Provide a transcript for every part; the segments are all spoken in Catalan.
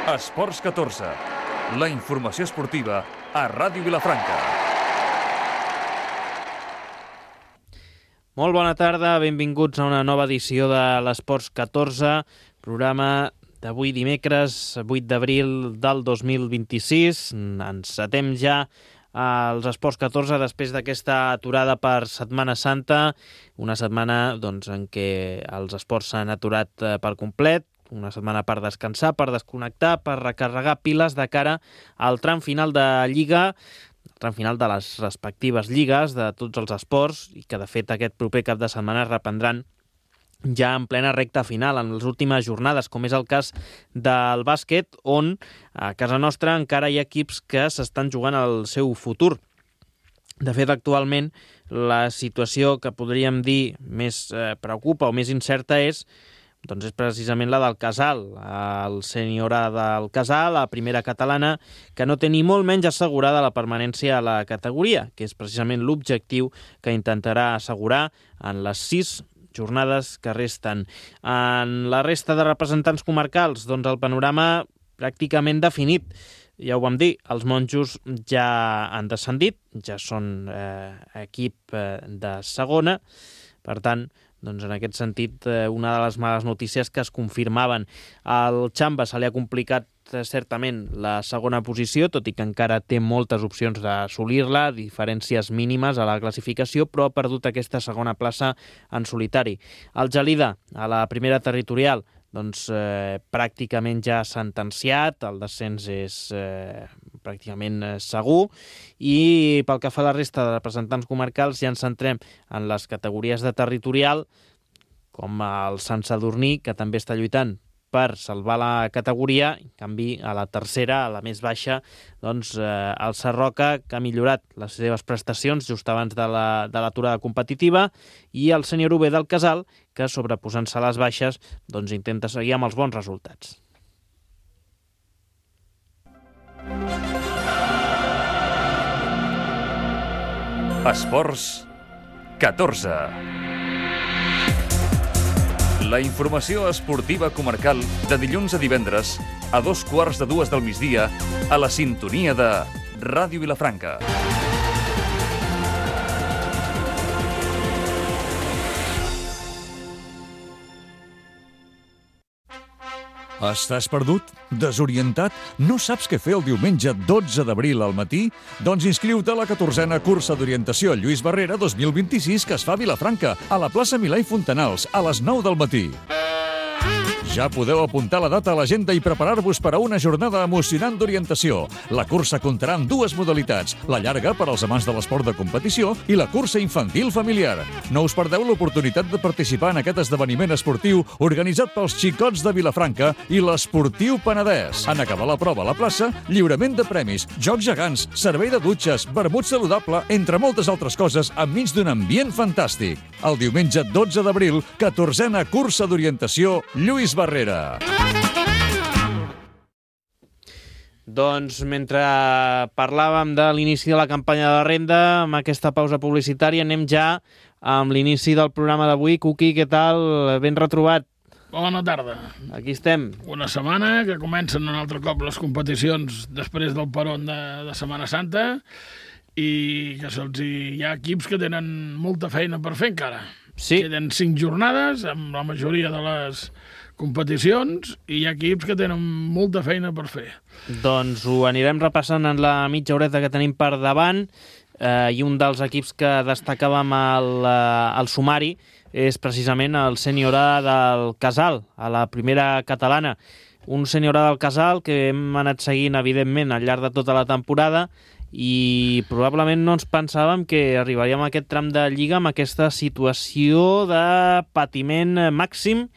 Esports 14, la informació esportiva a Ràdio Vilafranca. Molt bona tarda, benvinguts a una nova edició de l'Esports 14, programa d'avui dimecres 8 d'abril del 2026. Encetem ja als Esports 14 després d'aquesta aturada per Setmana Santa, una setmana en què els esports s'han aturat per complet, una setmana per descansar, per desconnectar, per recarregar piles de cara al tram final de Lliga, el tram final de les respectives lligues de tots els esports, i que de fet aquest proper cap de setmana es reprendran ja en plena recta final, en les últimes jornades, com és el cas del bàsquet, on a casa nostra encara hi ha equips que s'estan jugant el seu futur. De fet, actualment, la situació que podríem dir més preocupa o més incerta és precisament la del Casal, el sènior A del Casal, la primera catalana, que no té ni molt menys assegurada la permanència a la categoria, que és precisament l'objectiu que intentarà assegurar en les 6 jornades que resten. En la resta de representants comarcals, el panorama pràcticament definit. Ja ho vam dir, els monjos ja han descendit, ja són equip de segona, per tant, en aquest sentit, una de les males notícies que es confirmaven. Al Xamba se li ha complicat certament la segona posició, tot i que encara té moltes opcions d'assolir-la, diferències mínimes a la classificació, però ha perdut aquesta segona plaça en solitari. El Gelida, a la primera territorial, pràcticament ja sentenciat, el descens és pràcticament segur, i pel que fa a la resta de representants comarcals ja ens centrem en les categories de territorial, com el Sant Sadurní, que també està lluitant per salvar la categoria. En canvi, a la tercera, a la més baixa, el Sarroca, que ha millorat les seves prestacions just abans de l'aturada competitiva, i el sènior UB del Casal, que sobreposant-se a les baixes, intenta seguir amb els bons resultats. Esports 14. La informació esportiva comarcal de dilluns a divendres a 2:15 del migdia a la sintonia de Ràdio Vilafranca. Estàs perdut? Desorientat? No saps què fer el diumenge 12 d'abril al matí? Doncs inscriu-te a la 14a cursa d'orientació Lluís Barrera 2026 que es fa a Vilafranca, a la plaça Milà i Fontanals, a les 9 del matí. Ja podeu apuntar la data a l'agenda i preparar-vos per a una jornada emocionant d'orientació. La cursa comptarà amb 2 modalitats, la llarga per als amants de l'esport de competició i la cursa infantil familiar. No us perdeu l'oportunitat de participar en aquest esdeveniment esportiu organitzat pels xicots de Vilafranca i l'Esportiu Penedès. En acabar la prova a la plaça, lliurament de premis, jocs gegants, servei de dutxes, vermut saludable, entre moltes altres coses, enmig d'un ambient fantàstic. El diumenge 12 d'abril, 14a cursa d'orientació Lluís Barrera. Mentre parlàvem de l'inici de la campanya de la renda, amb aquesta pausa publicitària, anem ja amb l'inici del programa d'avui. Cuqui, què tal? Ben retrobat. Bona tarda. Aquí estem. Una setmana que comencen un altre cop les competicions després del peron de Setmana Santa i que hi ha equips que tenen molta feina per fer encara. Sí. Queden 5 jornades amb la majoria de les competicions i hi ha equips que tenen molta feina per fer. Doncs ho anirem repassant en la mitja horeta que tenim per davant, i un dels equips que destacàvem al sumari és precisament el sènior A del Casal, a la primera catalana. Un sènior A del Casal que hem anat seguint, evidentment, al llarg de tota la temporada, i probablement no ens pensàvem que arribaríem a aquest tram de Lliga amb aquesta situació de patiment màxim,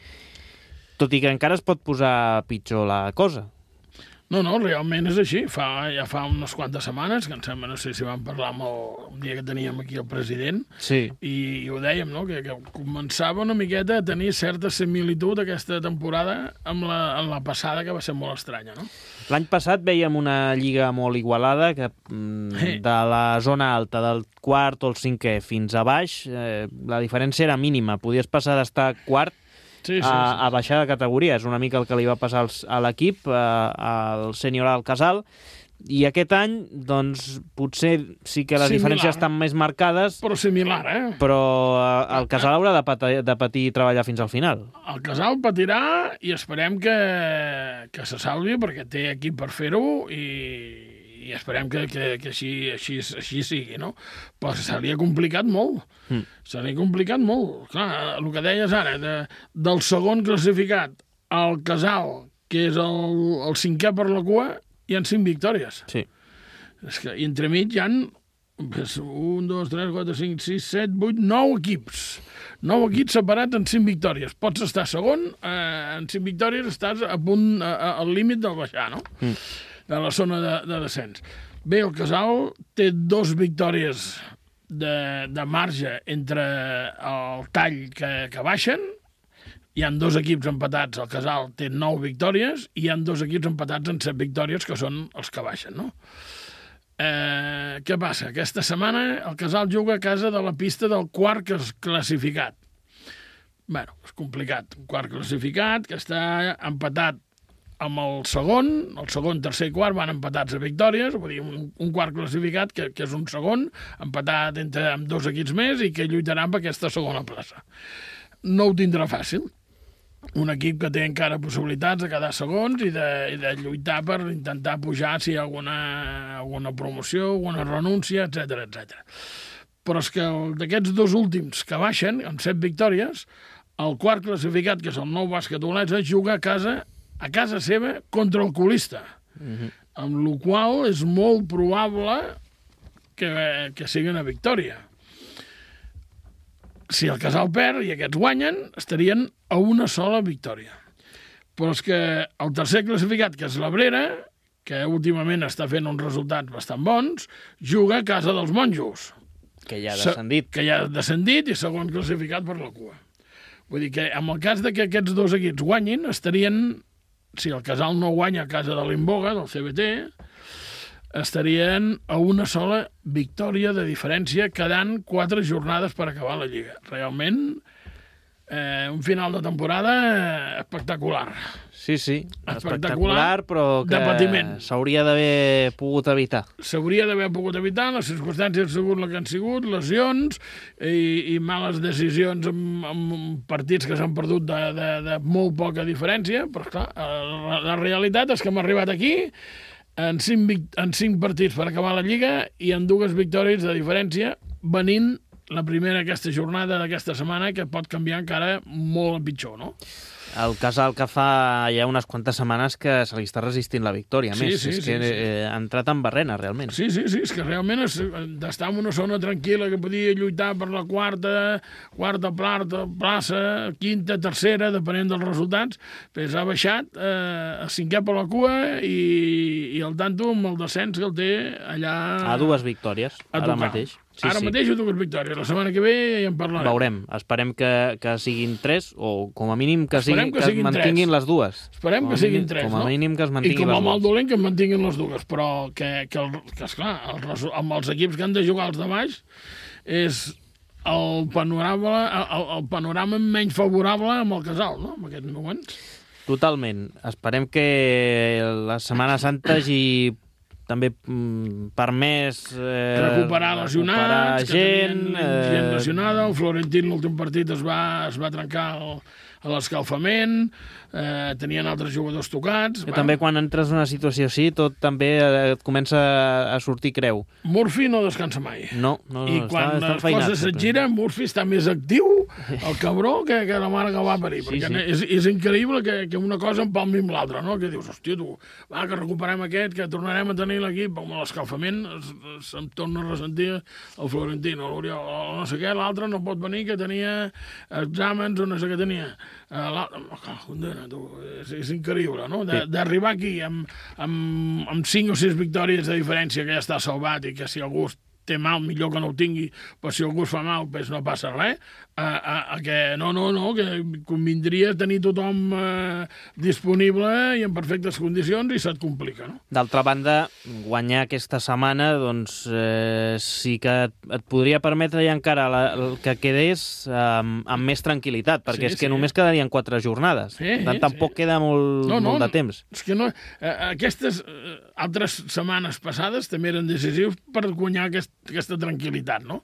tot i que encara es pot posar pitjor la cosa. No, realment és així. Ja fa unes quantes setmanes, que em sembla, no sé si vam parlar amb un dia que teníem aquí el president, sí. I ho dèiem, no? que començava una miqueta a tenir certa similitud aquesta temporada amb la passada, que va ser molt estranya, no? L'any passat veiem una lliga molt igualada, que de la zona alta, del quart o el cinquè fins a baix, la diferència era mínima. Podies passar d'estar quart a baixar de categoria. És una mica el que li va passar a l'equip, al sènior al Casal, i aquest any, doncs, potser sí que les diferències estan més marcades, però similar, però el Casal haurà de patir i treballar fins al final. El Casal patirà i esperem que se salvi, perquè té equip per fer-ho i esperem que així sigui, no? Però se li ha complicat molt. Se li ha complicat molt. Clar, el que deies ara, del segon classificat al Casal, que és el cinquè per la cua, hi ha 5 victòries. Sí. És que entremig hi ha 1, 2, 3, 4, 5, 6, 7, 8, 9 equips. 9 equips separats en 5 victòries. Pots estar segon, en 5 victòries estàs a punt, al límit del baixar, no? De la zona de descens. Bé, el Casal té 2 victòries de marge entre el tall que baixen. Hi ha 2 equips empatats, el Casal té 9 victòries, i hi ha 2 equips empatats en 7 victòries, que són els que baixen, no? Què passa? Aquesta setmana el Casal juga a casa de la pista del quart classificat. Bé, és complicat. Un quart classificat que està empatat amb el segon, tercer i quart van empatats a victòries, vull dir, un quart classificat que és un segon, empatat amb 2 equips més i que lluitaran per aquesta segona plaça. No ho tindrà fàcil. Un equip que té encara possibilitats de quedar segons i de lluitar per intentar pujar si hi ha alguna promoció, alguna renúncia, etc. Però és que d'aquests 2 últims que baixen, amb 7 victòries, el quart classificat, que és el Nou Bàsquet Olesa, juga a casa seva contra el colista, amb la qual és molt probable que sigui una victòria. Si el Casal perd i aquests guanyen, estarien a una sola victòria. Però és que el tercer classificat, que és l'Abrera, que últimament està fent uns resultats bastant bons, juga a casa dels monjos. Que ja ha descendit. Que ja ha descendit i segon classificat per la cua. Vull dir que en el cas de que aquests 2 equips guanyin, estarien, si el Casal no guanya a casa de l'Imboga, del CBT, estarien a una sola victòria de diferència, quedant 4 jornades per acabar la Lliga. Realment, un final de temporada espectacular. Sí, espectacular, però que s'hauria d'haver pogut evitar. S'hauria d'haver pogut evitar, les circumstàncies han sigut el que han sigut, lesions i males decisions en partits que s'han perdut de molt poca diferència, però clar, la realitat és que hem arribat aquí en 5 partits per acabar la Lliga i en 2 victòries de diferència, venint la primera aquesta jornada d'aquesta setmana, que pot canviar encara molt a pitjor, no? El Casal que fa ja unes quantes setmanes que se li està resistint la victòria. És que ha entrat en barrena, realment. Sí, és que realment d'estar en una zona tranquil·la que podia lluitar per la quarta plaça, quinta, tercera, depenent dels resultats, doncs ha baixat a 5è per la cua i el tanto amb el descens que el té allà... A 2 victòries, ara mateix. Ara mateix ho 2 victòries. La setmana que ve ja en parlarem. Veurem. Esperem que siguin 3, o com a mínim que es mantinguin les 2. Esperem que siguin 3, no? Com a mínim que es mantinguin les 2. I com a mal dolent que es mantinguin les 2. Però que esclar, amb els equips que han de jugar els de baix, és el panorama menys favorable amb el Casal, no?, en aquests moments. Totalment. Esperem que la Setmana Santa hagi també permès recuperar lesionats, gent lesionada. El Florentín l'últim partit es va trencar a l'escalfament, tenien altres jugadors tocats. Que també quan entres en una situació així tot també et comença a sortir creu. Murphy no descansa mai. No, i quan les coses se't giren, Murphy està més actiu, el cabró, que la mare que va parir. Perquè és increïble que una cosa empalmi amb l'altra, no? Que dius, hòstia, tu, va, que recuperem aquest, que tornarem a tenir l'equip, amb l'escalfament se'm torna a ressentir el Florentino, l'Oriol, no sé què, l'altre no pot venir, que tenia exàmens o no sé què tenia. És increïble, no? D'arribar aquí amb 5 o 6 victòries de diferència, que ja està salvat, i que si algú té mal, millor que no ho tingui, però si algú es fa mal, doncs no passa res, que que convindria tenir tothom disponible i en perfectes condicions i se't complica, no? D'altra banda, guanyar aquesta setmana, doncs sí que et podria permetre ja encara el que quedés amb més tranquil·litat, perquè és que només quedarien 4 jornades. Tampoc queda molt de temps. És que no, aquestes altres setmanes passades també eren decisius per guanyar aquesta tranquil·litat, no?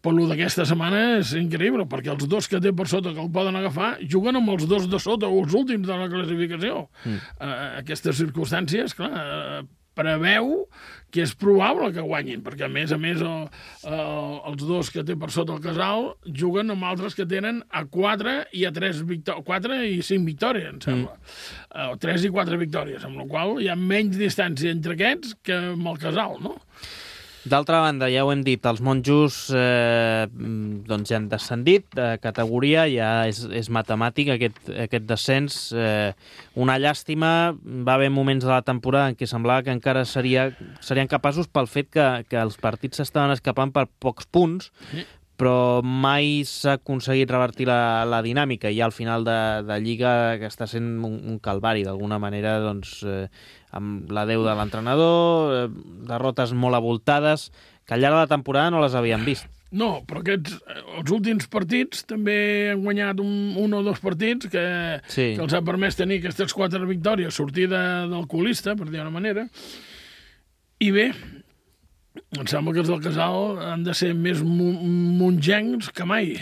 Però el d'aquesta setmana és increïble, perquè els 2 que té per sota que el poden agafar juguen amb els 2 de sota, o els últims de la classificació. Aquestes circumstàncies, clar, preveu que és probable que guanyin, perquè a més els 2 que té per sota el Casal juguen amb altres que tenen a 4 i a 4 i 5 victòries, em sembla. 3 i 4 victòries, amb la qual cosa hi ha menys distància entre aquests que amb el Casal, no? D'altra banda, ja ho hem dit, els monjos doncs ja han descendit de categoria, ja és matemàtic aquest descens. Una llàstima, va haver moments de la temporada en què semblava que encara serien capaços pel fet que els partits s'estaven escapant per pocs punts, però mai s'ha aconseguit revertir la dinàmica, i al final de Lliga que està sent un calvari, d'alguna manera, doncs, amb l'adeu de l'entrenador, derrotes molt avoltades, que al llarg de la temporada no les havíem vist. No, però els últims partits també han guanyat un o 2 partits que els ha permès tenir aquestes 4 victòries, sortir del colista, per dir-ho d'una manera, i bé, em sembla que els del Casal han de ser més mongencs que mai,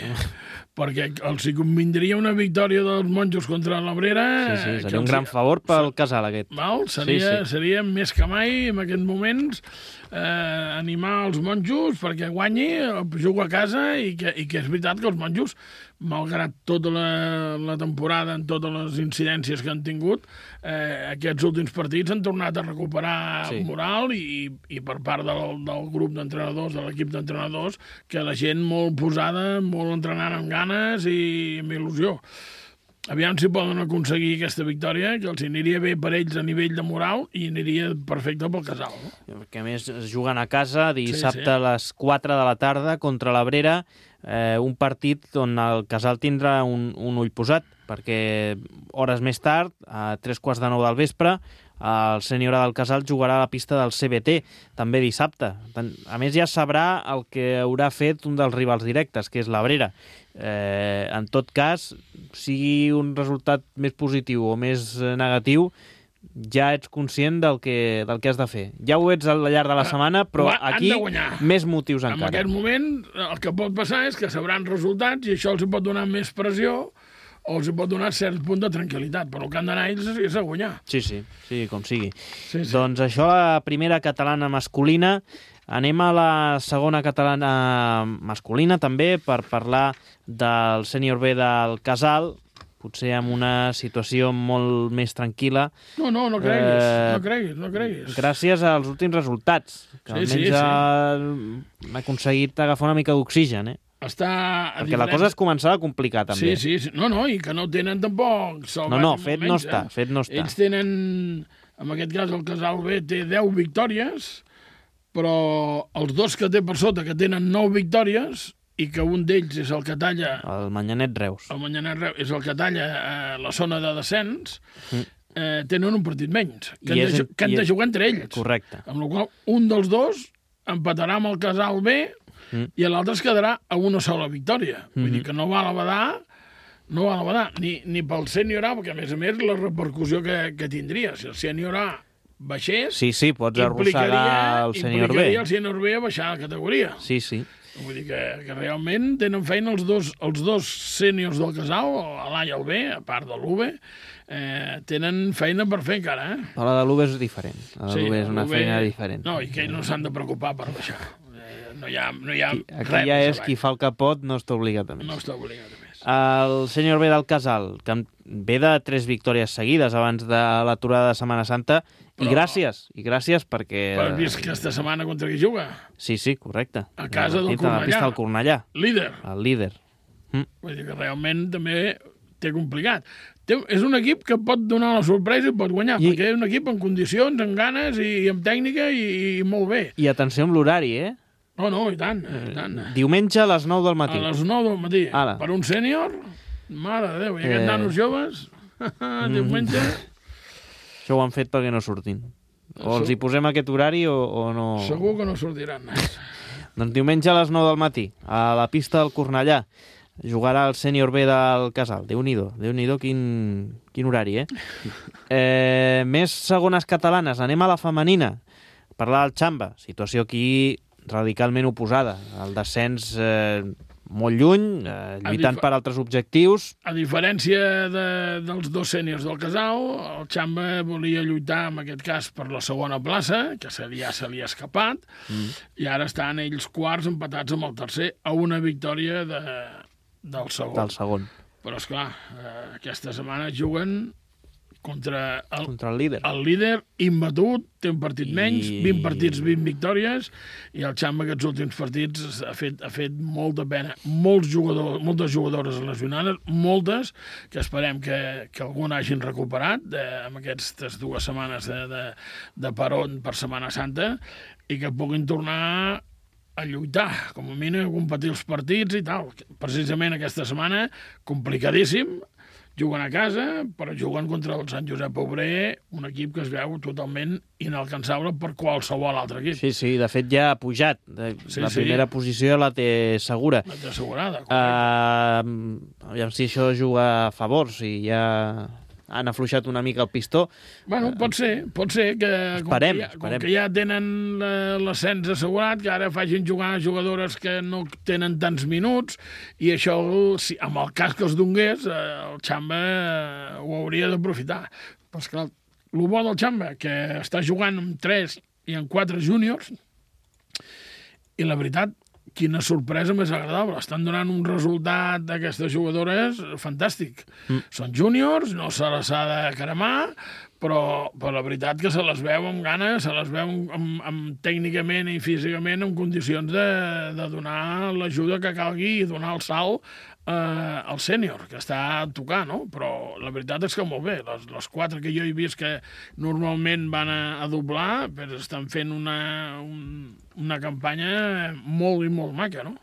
perquè els hi convindria una victòria dels monjos contra l'Abrera. Sí, seria un gran favor pel Casal, aquest. Seria més que mai, en aquests moments, animar els monjos perquè guanyi, juga a casa, i que és veritat que els monjos, malgrat tota la temporada, en totes les incidències que han tingut, aquests últims partits han tornat a recuperar moral i per part del grup d'entrenadors, de l'equip d'entrenadors, que la gent molt posada, molt entrenant amb ganes i amb il·lusió. Aviam si poden aconseguir aquesta victòria, que els aniria bé per ells a nivell de moral i aniria perfecte pel Casal. No? Perquè a més es juguen a casa dissabte a les 4 de la tarda contra l'Abrera, un partit on el Casal tindrà un ull posat, perquè hores més tard, a 3:15 del vespre, el sènior del Casal jugarà a la pista del CBT, també dissabte. A més, ja sabrà el que haurà fet un dels rivals directes, que és l'Abrera. En tot cas, sigui un resultat més positiu o més negatiu, ja ets conscient del que has de fer. Ja ho ets al llarg de la setmana, però aquí més motius encara. En aquest moment, el que pot passar és que sabran resultats i això els pot donar més pressió o els pot donar cert punt de tranquil·litat, però el que han d'anar ells és a guanyar. Sí, com sigui. Doncs això, la primera catalana masculina. Anem a la segona catalana masculina, també, per parlar del sènior B del Casal, potser amb una situació molt més tranquil·la. No creguis. Gràcies als últims resultats, que almenys han aconseguit agafar una mica d'oxigen, perquè la cosa es començava a complicar, també. Sí. No, i que no tenen tampoc... Fet no està. Ells tenen, en aquest cas el Casal B té 10 victòries, però els 2 que té per sota, que tenen 9 victòries, i que un d'ells és el que talla... El Manyanet Reus. El Manyanet Reus és el que talla la zona de descens, tenen un partit menys, que han de jugar entre ells. Correcte. Amb la qual un dels 2 empatarà amb el Casal B i l'altre es quedarà a una sola victòria. Vull dir que no val a badar, ni pel sènior A, perquè a més la repercussió que tindria. Si el sènior A baixés, pots arrossegar el sènior B. Implicaria el sènior B a baixar de categoria. Sí. Vull dir que realment tenen feina els dos sèniors del Casal, l'A i el B, a part de l'UB, tenen feina per fer encara. Però la de l'UB és diferent. La de l'UB és una feina diferent. No, i que ells no s'han de preocupar per baixar. No hi ha aquí ja és qui fa el que pot, no està obligat a més. No està obligat a més. El sènior B del Casal, que ve de 3 victòries seguides abans de l'aturada de Setmana Santa, i gràcies perquè... Però has vist que aquesta setmana contra qui juga? Sí, correcte. A casa del Cornellà. A la pista del Cornellà. Líder. El líder. Vull dir que realment també té complicat. És un equip que pot donar la sorpresa i pot guanyar, perquè és un equip en condicions, amb ganes i amb tècnica i molt bé. I atenció amb l'horari, No, i tant, i tant. Diumenge a les 9 del matí. A les 9 del matí. Ara. Per un sènior, mare de Déu, i aquests nanos joves, diumenge... Això ho han fet perquè no surtin. O els hi posem aquest horari o no... Segur que no sortiran. Doncs diumenge a les 9 del matí, a la pista del Cornellà, jugarà el sènior B del Casal. Déu-n'hi-do, quin horari, Més segones catalanes. Anem a la femenina. Parlar del Xamba. Situació aquí radicalment oposada. El descens molt lluny, lluitant per altres objectius. A diferència dels dos sèniors del Casal, el Xamba volia lluitar, en aquest cas, per la segona plaça, que ja se li ha escapat, i ara estan ells quarts empatats amb el tercer a una victòria del segon. Però, esclar, aquesta setmana juguen contra el líder. El líder imbatut, té un partit menys, 20 partits, 20 victòries, i el Xamba aquests últims partits ha fet molta pena. Moltes jugadores lesionades, moltes, que esperem que algun hagin recuperat amb aquestes 2 setmanes de peron per Setmana Santa, i que puguin tornar a lluitar, com a mínim a competir els partits i tal. Precisament aquesta setmana, complicadíssim, juguen a casa, però juguen contra el Sant Josep Obrer, un equip que es veu totalment inalcançable per qualsevol altre equip. Sí, de fet ja ha pujat. Primera posició la té segura. La té assegurada, aviam si això juga a favor, si ja han afluixat una mica el pistó. Bueno, pot ser que esperem. Com que ja tenen l'ascens assegurat, que ara facin jugar jugadores que no tenen tants minuts, i això, amb el cas que els donés, el Xamba ho hauria d'aprofitar. Però, esclar, el bo del Xamba, que està jugant amb 3 i amb 4 júniors, i la veritat, quina sorpresa més agradable. Estan donant un resultat d'aquestes jugadores fantàstic. Són júniors, no se les ha de cremar, però la veritat que se les veu amb ganes, se les veu tècnicament i físicament en condicions de donar l'ajuda que calgui i donar el salt al sènior, que està a tocar, no? Però la veritat és que molt bé. Les 4 que jo he vist que normalment van a doblar, però estan fent una campanya molt i molt maca, no?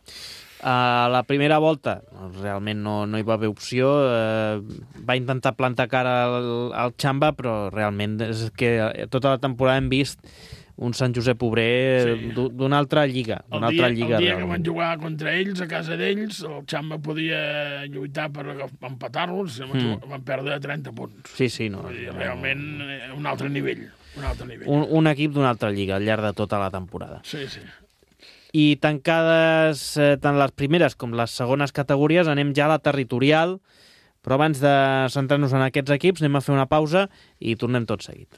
A la primera volta realment no hi va haver opció, va intentar plantar cara al Xamba, però realment és que tota la temporada hem vist un Sant Josep Obrer d'una altra lliga. El dia que van jugar contra ells, a casa d'ells, el Xamba podia lluitar per empatar-los, van perdre 30 punts. Sí, no. Realment un altre nivell. Un equip d'una altra lliga al llarg de tota la temporada. Sí. I tancades tant les primeres com les segones categories, anem ja a la territorial, però abans de centrar-nos en aquests equips anem a fer una pausa i tornem tot seguit.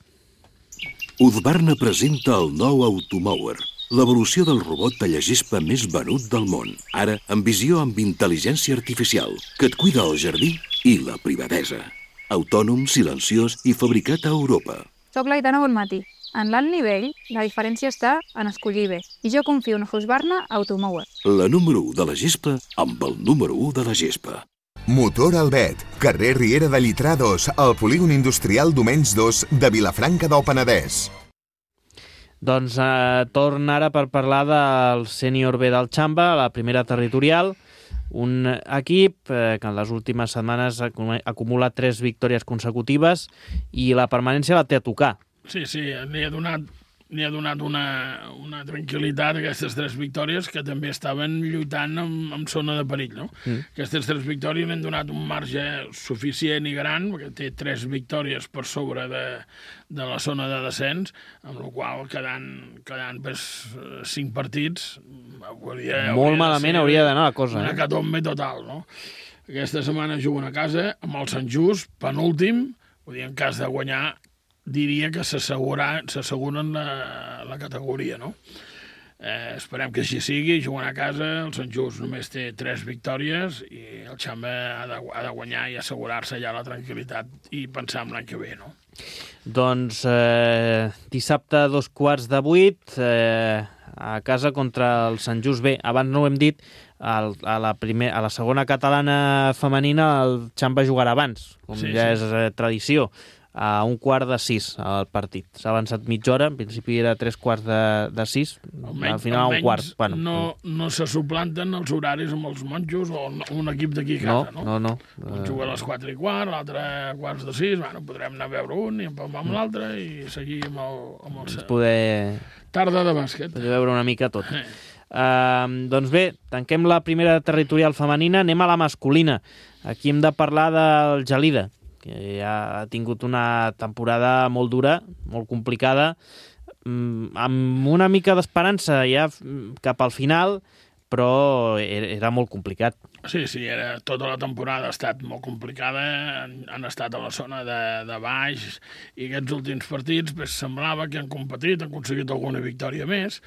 Husqvarna presenta el nou Automower, l'evolució del robot tallagespa més venut del món, ara amb visió amb intel·ligència artificial, que et cuida el jardí i la privadesa. Autònom, silenciós i fabricat a Europa. Soc l'Aitana Bonmatí. En l'alt nivell, la diferència està en escollir bé, i jo confio en Husqvarna Automower. La número 1 de la gespa amb el número 1 de la gespa. Motor Albet, carrer Riera de Llitrà 2, al polígon industrial Domenys 2 de Vilafranca del Penedès. Doncs torna ara per parlar del sènior B del Xamba, la primera territorial, un equip que en les últimes setmanes ha acumulat 3 victòries consecutives i la permanència la té a tocar. Sí, n'hi ha donat una tranquil·litat a aquestes 3 victòries, que també estaven lluitant en zona de perill, no? Aquestes 3 victòries n'han donat un marge suficient i gran, perquè té 3 victòries per sobre de la zona de descens, amb la qual quedant 5 partits molt malament hauria d'anar la cosa. Una hecatombe total, no? Aquesta setmana juguen a casa amb el Sant Just, penúltim, vull dir, en cas de guanyar, diria que s'asseguren la categoria, no? Esperem que així sigui, juguen a casa, el Sant Just només té 3 victòries i el Xamba ha de guanyar i assegurar-se ja la tranquil·litat i pensar en l'any que ve, no? Doncs dissabte a 7:15 a casa contra el Sant Just B. Abans no ho hem dit, a la segona catalana femenina el Xamba jugarà abans, com ja és tradició. a 5:45 el partit. S'ha avançat mitja hora, en principi era 3:45, al final a 1:15. Bueno, no se suplanten els horaris amb els monjos o un equip d'aquí a casa, no? No. Un juga a les 4:15, l'altre a 5:45, bueno, podrem anar a veure un i empalmar amb l'altre i seguir amb el... Poder... Tarda de bàsquet. Poder veure una mica tot. Doncs bé, tanquem la primera territorial femenina, anem a la masculina. Aquí hem de parlar del Gelida, que ja ha tingut una temporada molt dura, molt complicada, amb una mica d'esperança ja cap al final, però era molt complicat. Sí, tota la temporada ha estat molt complicada, han estat a la zona de baix, i aquests últims partits semblava que han competit, han aconseguit alguna victòria més.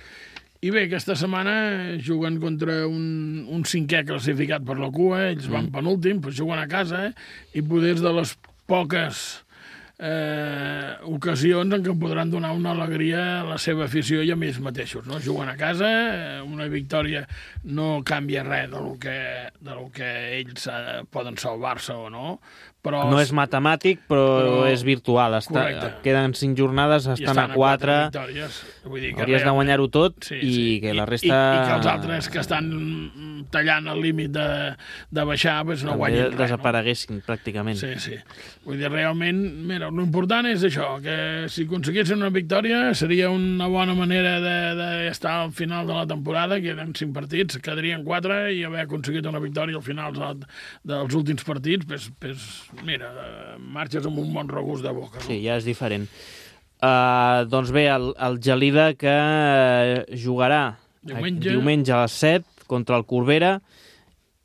I bé, aquesta setmana juguen contra un cinquè classificat per la cua, ells van penúltim, però juguen a casa, i poder de les poques ocasions en què podran donar una alegria a la seva afició i a ells mateixos, no? Juguen a casa, una victòria no canvia res del que ells poden salvar-se o no, però... No és matemàtic, però és virtual. Queden 5 jornades, estan a 4. Hauries de guanyar-ho tot i que la resta... I que els altres que estan tallant el límit de baixar no guanyen res. Desapareguessin, pràcticament. Sí. Vull dir, realment, mira, l'important és això, que si aconseguissin una victòria seria una bona manera d'estar al final de la temporada, que eren 5 partits, quedarien 4 i haver aconseguit una victòria al final dels últims partits, mira, marxes amb un bon regust de boca. No? Sí, ja és diferent. Doncs bé, el Gelida que jugarà diumenge a les 7 contra el Corbera,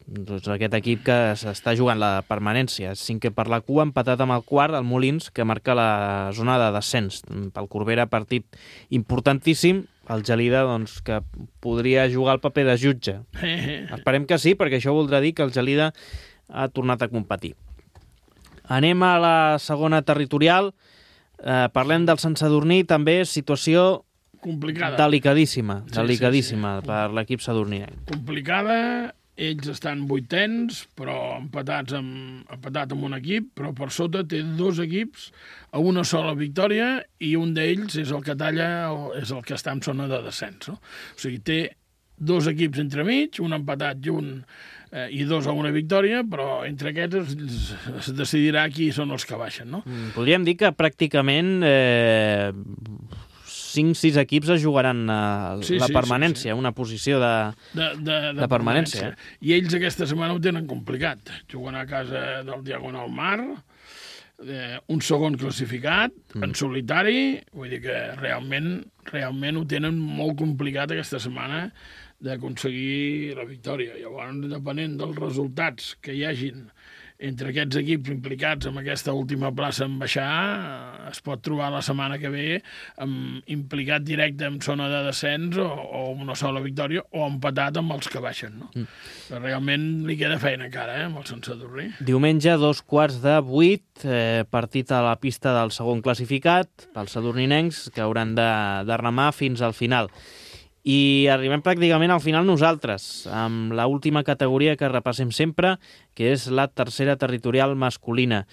doncs aquest equip que s'està jugant la permanència, 5è per la cua, empatat amb el quart, el Molins, que marca la zona de descens. Pel Corbera, partit importantíssim, el Gelida, doncs, que podria jugar el paper de jutge. Esperem que sí, perquè això voldrà dir que el Gelida ha tornat a competir. Anem a la segona territorial. Parlem del Sant Sadurní, també situació complicada. Delicadíssima per l'equip sadurninenc. Complicada, ells estan 8ens, però empatat amb un equip, però per sota té 2 equips a una sola victòria i un d'ells és el que talla, és el que està en zona de descens. No? O sigui, té 2 equips entremig, un empatat i 2 a una victòria, però entre aquests es decidirà qui són els que baixen. No? Podríem dir que pràcticament 5-6 equips es jugaran la permanència, una posició de permanència. I ells aquesta setmana ho tenen complicat. Juguen a casa del Diagonal Mar, un segon classificat, en solitari, vull dir que realment ho tenen molt complicat aquesta setmana d'aconseguir la victòria. Llavors, depenent dels resultats que hi hagin entre aquests equips implicats en aquesta última plaça en baixar, es pot trobar la setmana que ve implicat directe en zona de descens o una sola victòria o empatat amb els que baixen. No? Però realment li queda feina encara, amb el Sant Sadurní. Diumenge, 7:15, partit a la pista del segon classificat, pels sadurninencs, que hauran de remar fins al final. I arribem pràcticament al final nosaltres, amb l'última categoria que repassem sempre, que és la tercera territorial masculina,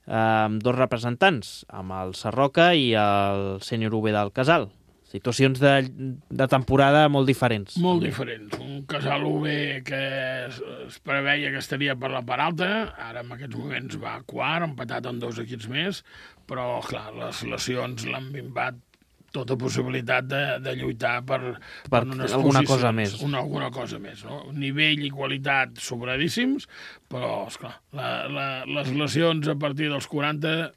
amb 2 representants, amb el Sarroca i el Sènior UB del Casal. Situacions de temporada molt diferents. Molt diferents. Un Casal UB que es preveia que estaria per la part alta, ara en aquests moments va a quart, empatat amb 2 equips més, però, clar, les lesions l'han minvat tota possibilitat de lluitar per unes alguna cosa més. Alguna cosa més. No? Nivell i qualitat sobradíssims, però, esclar, les lesions a partir dels 40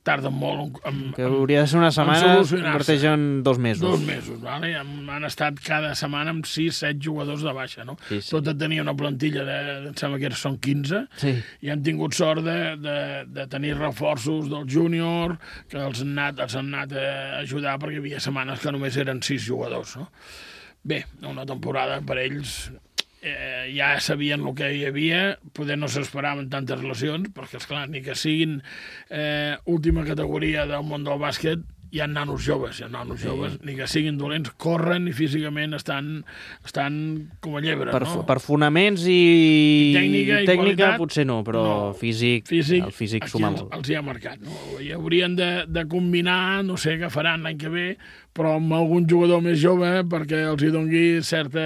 tarden molt que hauria de ser una setmana, es converteix en 2 mesos. 2 mesos, vale? Han estat cada setmana amb 6-7 jugadors de baixa, no? Sí. Tot tenia una plantilla em sembla que són 15, i han tingut sort de tenir reforços del júnior, que els han anat a ajudar, perquè hi havia setmanes que només eren 6 jugadors, no? Bé, una temporada per ells... ja sabien el que hi havia, poder no s'esperaven tantes lesions, perquè, esclar, ni que siguin última categoria del món del bàsquet, hi ha nanos joves, ni que siguin dolents, corren i físicament estan com a llebre, no? Per fonaments i tècnica qualitat, potser no, però el físic suma molt. Els hi ha marcat, no? I haurien de combinar, no sé què faran l'any que ve, però amb algun jugador més jove perquè els hi dongui certa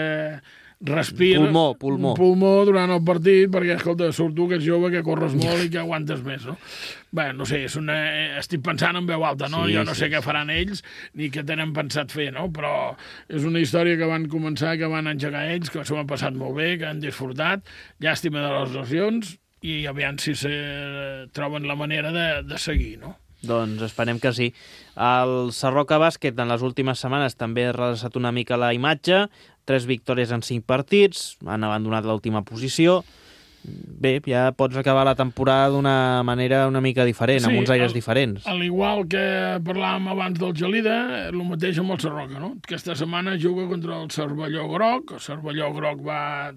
pulmó durant el partit, perquè, escolta, surt tu que ets jove, que corres molt i que aguantes més, no? Bé, no sé, estic pensant en veu alta, no? Jo no sé què faran ells ni què tenen pensat fer, no? Però és una història que van començar, que van engegar ells, que s'ho han passat molt bé, que han disfrutat, llàstima de les lesions, i aviam si troben la manera de seguir, no? Doncs esperem que sí. El Sarroca Bàsquet en les últimes setmanes també ha redreçat una mica la imatge, 3 victòries en 5 partits, han abandonat l'última posició. Bé, ja pots acabar la temporada d'una manera una mica diferent, amb uns aires diferents. Al igual que parlàvem abans del Gelida, el mateix amb el Sarroca, no? Aquesta setmana juga contra el Cervelló Groc, el Cervelló Groc va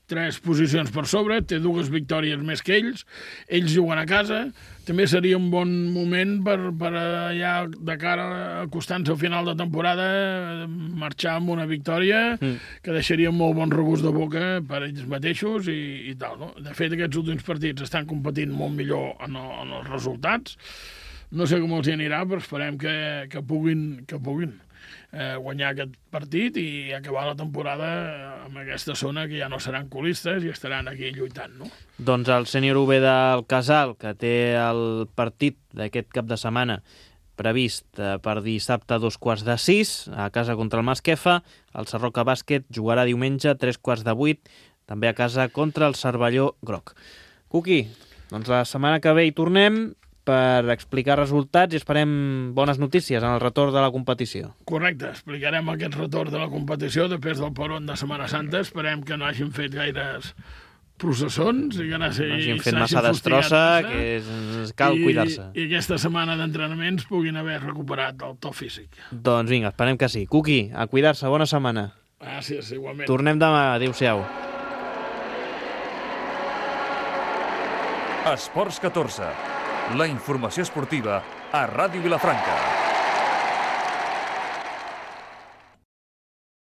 3 posicions per sobre, té 2 victòries més que ells juguen a casa, també seria un bon moment per allà de cara acostant-se al final de temporada marxar amb una victòria que deixaria molt bon regust de boca per ells mateixos i tal, no? De fet, aquests últims partits estan competint molt millor en els resultats, no sé com els hi anirà, però esperem que puguin guanyar aquest partit i acabar la temporada amb aquesta zona que ja no seran colistes i estaran aquí lluitant, no? Doncs el sènior UB del Casal, que té el partit d'aquest cap de setmana previst per dissabte a 5:45 a casa contra el Masquefa, el Sarroca Bàsquet jugarà diumenge a 7:45, també a casa contra el Cervelló Groc. Cuqui, doncs la setmana que ve hi tornem per explicar resultats i esperem bones notícies en el retorn de la competició. Correcte, explicarem aquest retorn de la competició després del peron de Setmana Santa. Esperem que no hagin fet gaires processons i que no hagin fet massa destrossa, que cal cuidar-se. I aquesta setmana d'entrenaments puguin haver recuperat el to físic. Doncs vinga, esperem que sí. Cuqui, a cuidar-se, bona setmana. Gràcies, igualment. Tornem demà, adéu-siau. Esports 14. La informació esportiva a Ràdio Vilafranca.